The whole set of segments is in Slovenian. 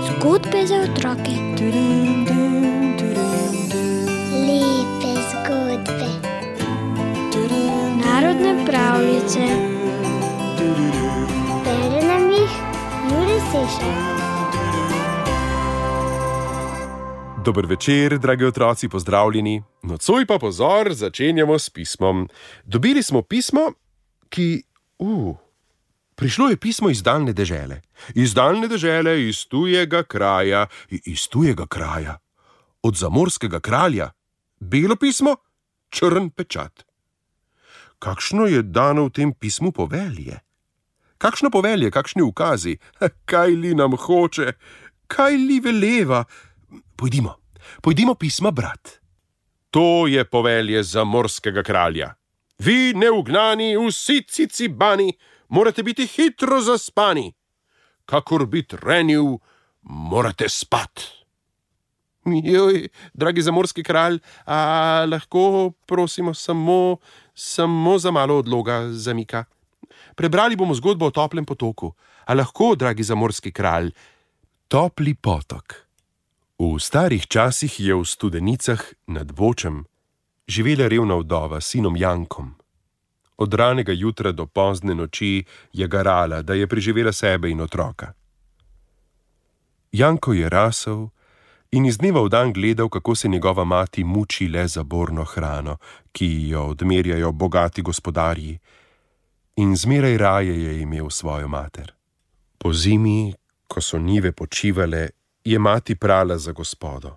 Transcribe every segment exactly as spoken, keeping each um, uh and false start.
Zgodbe za otroke. Lepe zgodbe. Narodne pravljice. Bere nam jih Jure Sešar. Dober večer, dragi otroci, pozdravljeni. Nocoj pa pozor, začenjamo s pismom. Dobili smo pismo, ki... Uh, prišlo je pismo iz daljne dežele. Iz daljne dežele, iz tujega kraja, iz tujega kraja. Od zamorskega kralja. Belo pismo, črn pečat. Kakšno je dano v tem pismu povelje? Kakšno povelje, kakšni ukazi? Kaj li nam hoče? Kaj li veleva? Pojdimo, pojdimo pisma brat. To je povelje zamorskega kralja. Vi, neugnani, vsi cicibani, morate biti hitro zaspani. Kakor bi trenil, morate spat. Joj, dragi zamorski kralj, a lahko prosimo samo, samo za malo odloga zamika. Prebrali bomo zgodbo o toplem potoku. A lahko, dragi zamorski kralj, topli potok. V starih časih je v Studenicah nad Bočem živela revna vdova s sinom Jankom. Od ranega jutra do pozne noči je garala, da je preživela sebe in otroka. Janko je rasel in iz dneva v dan gledal, kako se njegova mati muči le za borno hrano, ki jo odmerjajo bogati gospodarji, in zmeraj raje je imel svojo mater. Po zimi, ko so njive počivale, je mati prala za gospodo.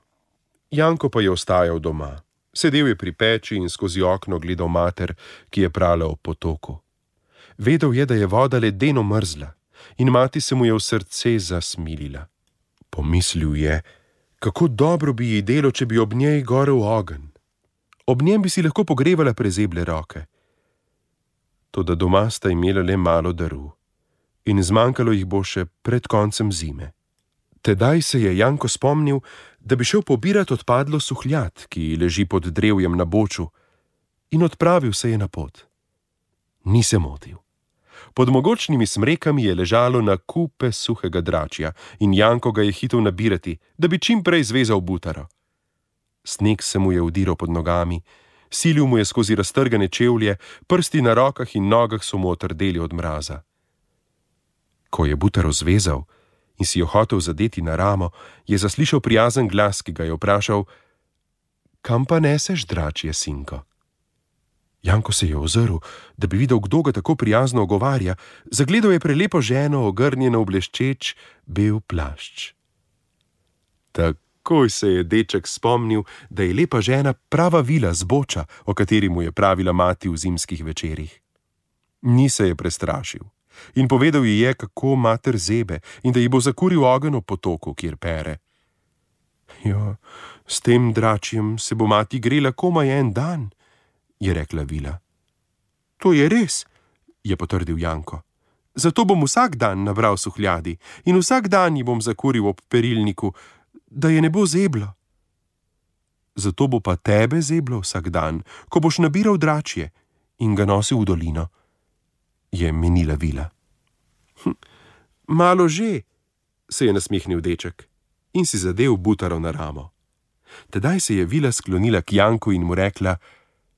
Janko pa je ostajal doma. Sedel je pri peči in skozi okno gledal mater, ki je prala ob potoku. Vedel je, da je voda ledeno mrzla in mati se mu je v srce zasmilila. Pomislil je, kako dobro bi ji delo, če bi ob njej gorel ogenj. Ob njem bi si lahko pogrevala prezeble roke. Toda doma sta imela le malo daru in zmanjkalo jih bo še pred koncem zime. Tedaj se je Janko spomnil, da bi šel pobirat odpadlo suhljad, ki leži pod drevjem na Boču, in odpravil se je na pot. Ni se motil. Pod mogočnimi smrekami je ležalo na kupe suhega dračja in Janko ga je hitel nabirati, da bi čim prej zvezal butaro. Sneg se mu je udiral pod nogami, silil mu je skozi raztrgane čevlje, prsti na rokah in nogah so mu otrdeli od mraza. Ko je butaro zvezal in si jo hotel zadeti na ramo, je zaslišal prijazen glas, ki ga je vprašal: Kam pa neseš, dračje sinko? Janko se je ozrl, da bi videl, kdo ga tako prijazno ogovarja. Zagledal je prelepo ženo, ogrnjeno v bleščeč bel plašč. Takoj se je deček spomnil, da je lepa žena prava Vila z Boča, o kateri mu je pravila mati v zimskih večerih. Ni se je prestrašil in povedal ji je, kako mater zebe in da ji bo zakuril ogenj ob potoku, kjer pere. Jo, s tem dračjem se bo mati grela komaj en dan, je rekla Vila. To je res, je potrdil Janko. Zato bom vsak dan nabral suhljadi in vsak dan ji bom zakuril ob perilniku, da je ne bo zeblo. Zato bo pa tebe zeblo vsak dan, ko boš nabiral dračje in ga nosil v dolino, je menila Vila. Hm, malo že, se je nasmehnil deček in si zadel butaro na ramo. Tedaj se je Vila sklonila k Janku in mu rekla: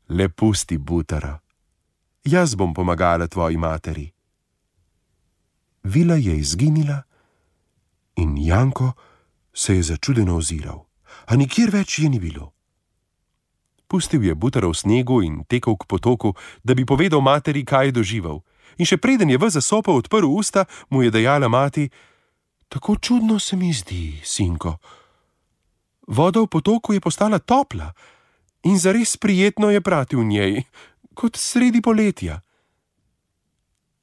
Le pusti butaro, jaz bom pomagala tvoji materi. Vila je izginila in Janko se je začudeno oziral, a nikjer več je ni bilo. Pustil je butaro v snegu in tekel k potoku, da bi povedal materi, kaj je doživel. In še preden je ves zasopel odprl usta, mu je dejala mati: Tako čudno se mi zdi, sinko. Voda v potoku je postala topla in zares prijetno je prati v njej, kot sredi poletja.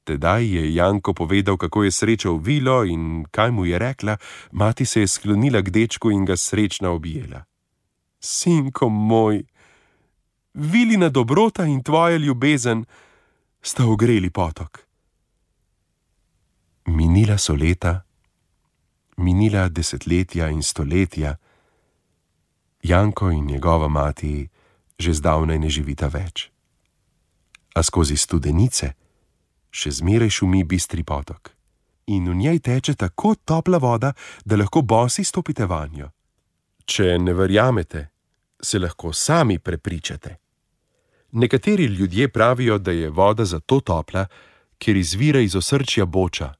Tedaj je Janko povedal, kako je srečal Vilo in kaj mu je rekla. Mati se je sklonila k dečku in ga srečna objela. Sinko moj, Vilina dobrota in tvoja ljubezen sta ogreli potok. Minila so leta, minila desetletja in stoletja. Janko in njegova mati že zdavnaj ne živita več. A skozi Studenice še zmeraj šumi bistri potok. In v njej teče tako topla voda, da lahko bosi stopite vanjo. Če ne verjamete, se lahko sami prepričate. Nekateri ljudje pravijo, da je voda zato topla, ker izvira iz osrčja Boča,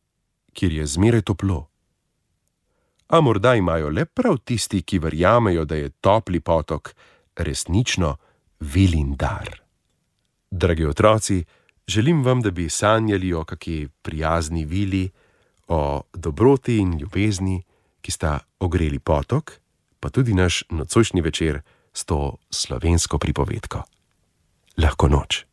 kjer je zmeraj toplo. A morda imajo le prav tisti, ki verjamejo, da je topli potok resnično Vilin dar. Dragi otroci, želim vam, da bi sanjali o kaki prijazni vili, o dobroti in ljubezni, ki sta ogreli potok, pa tudi naš nocojšnji večer s to slovensko pripovedko. Lahko noč.